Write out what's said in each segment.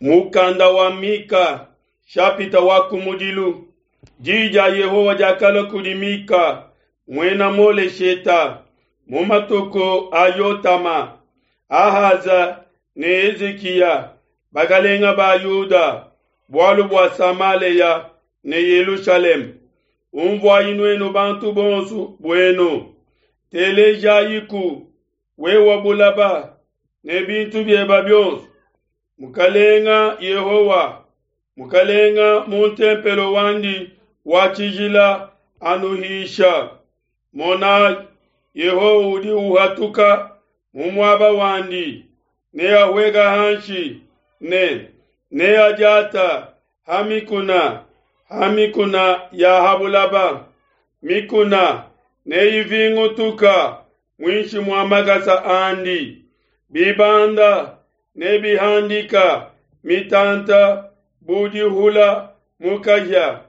Mukanda wa Mika, shapita wa kumudilu. Diyi dia Yehowa diakalua kudi Mika muena Molesheta mu matuku a Yotama, Ahaza ne Hezikiya bakalenge ba Yuda, bualu bua Samalea ne Yelushalema. Umvuayi nuenu bantu bonso buenu, telejayiku wewa bulaba ne bintu bieba bionso. Mukalenga Yehowa, Mukalenga mu ntempelo wandi wa tshijila anuhisha. Monai, Yehowa udi uhatuka mu muaba wandi, neahueka hanshi ne neadiata ha mikuna, ha mikuna ya ha bulaba. Mikuna neivingutuka muinshi mua makasa andi, bibanda nebihandika mitanta bu dihula mu kahia,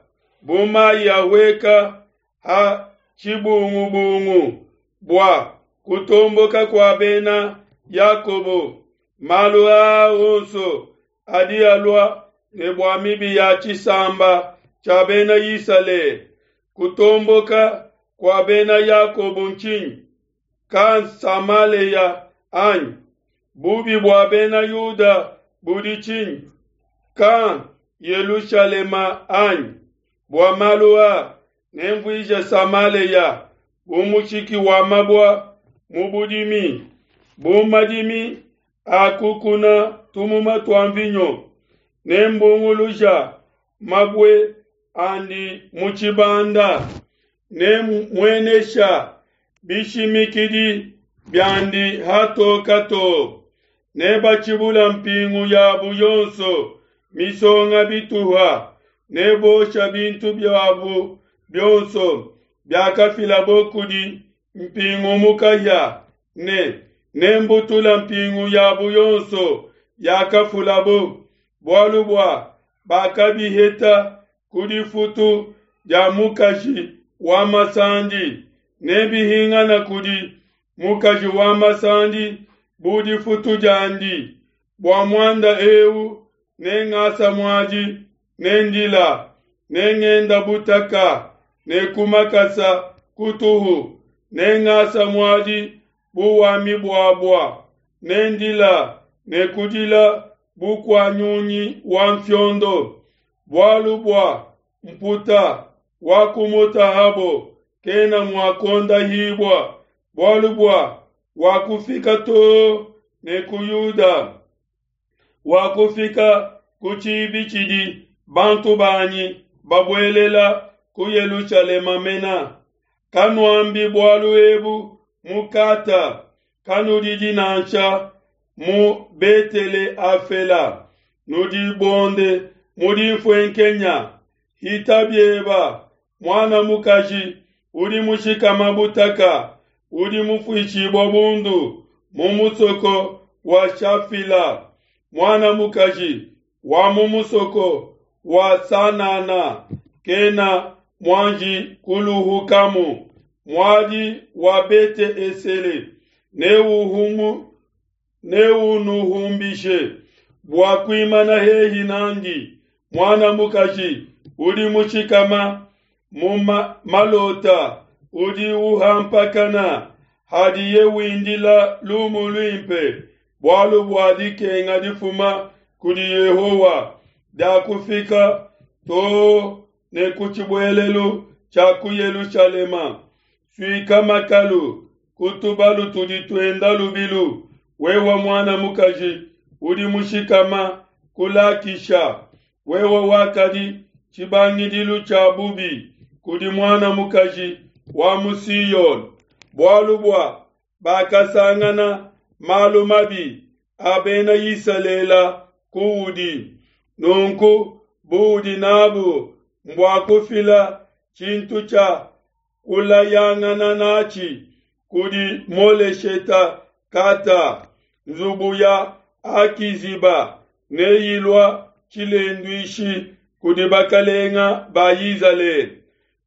bu mai ahueka ha tshibungubungu. Bua kutomboka kua bena Yakobo, malu aa onso adi alua ne bua mibi ya tshisamba tshia bena Isalele. Kutomboka kua bena Yakobo ntshinyi? Ka Samalea anyi? Bubi bua bena Yuda budi tshinyi? Ka Yelushalema anyi? Bua malu aa nemvuije Samalea bu mushiki wa mabua mu budimi, bu madimi a kukuna tumuma tua mvinyo, nembunguluja mabue andi mu tshibanda, nemmuenesha bishimikidi biandi hatoka too. Nebatshibula mpingu yabu yonso misonga bituha, nebosha bintu biabu bionso biakafilabo kudi mpingu mu kahia, ne nembutula mpingu yabu yonso yakafulabo, bualu bua bakabiheta ku difutu dia mukaji wa masandi, nebihingana kudi mukaji wa masandi bu difutu diandi. Bua muanda eu nengasa muadi, nendila, nengenda butaka ne ku makasa kutuhu, nengasa muadi bu wa mibuabua, nendila ne kudila bu kua nyunyi wa mfiondo, bualu bua mputa wakumutahabo kena mua kuondahibua, bualu bua wakufika too ne ku Yuda, wakufika ku tshibi tshidi bantu banyi babuelela ku Yelushalema mena. Kanuambi bualu ebu mu Kata, kanudidi nansha mu Betele Afela, nudibonde mu dinfuenkenya. Hita bieba, muana mukaji udi mushikama butaka, udi mufuishibua bundu mu musoko wa Shafila, muana mukaji wa mu musoko wa Sanana kena muanji kuluhukamu. Muadi wa Bete Esele neunuhumbishe bua kuimana hehi nandi. Muana mukaji udi mushikama mu malota udi uhampakana hadiye windila lumu luimpe, bualu bua dikenga difuma kudi Yehowa diakufika too ne ku tshibuelelu tshia ku Yelushalema. Suika makalu ku tubalu tudi tuenda lubilu, wewe muana mukaji udi mushikama ku Lakisha, wewe wakadi tshibangidilu tshia bubi kudi muana mukaji wa mu Siyone, bualu bua bakasangana malu mabi a bena Isalele kuudi. Nunku buudi nabu mbua kufila tshintu tshia kulayangana natshi kudi Molesheta Kata, nzubu ya Akiziba neyilua tshilenduishi kudi bakalenga ba Izalele.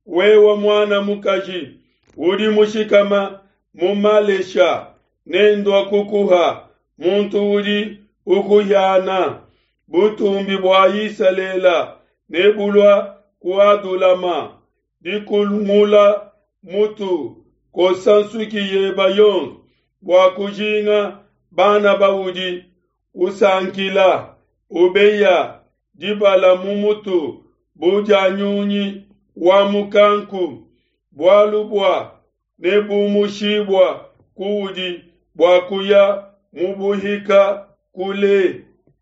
Wewe muana mukaji udi mushikama mu Malesha, nendua kukuha muntu udi ukuhiana. Butumbi bua Isalela nebulua ku Adulama. Dikungula mutu, kosa nsuki yeba yonso bua kujinga bana baudi usankila, ubeya dibala mu mutu bu dia nyunyi wa mukanku, bualu bua nebumushibua kuudi bua kuya mu buhika kule.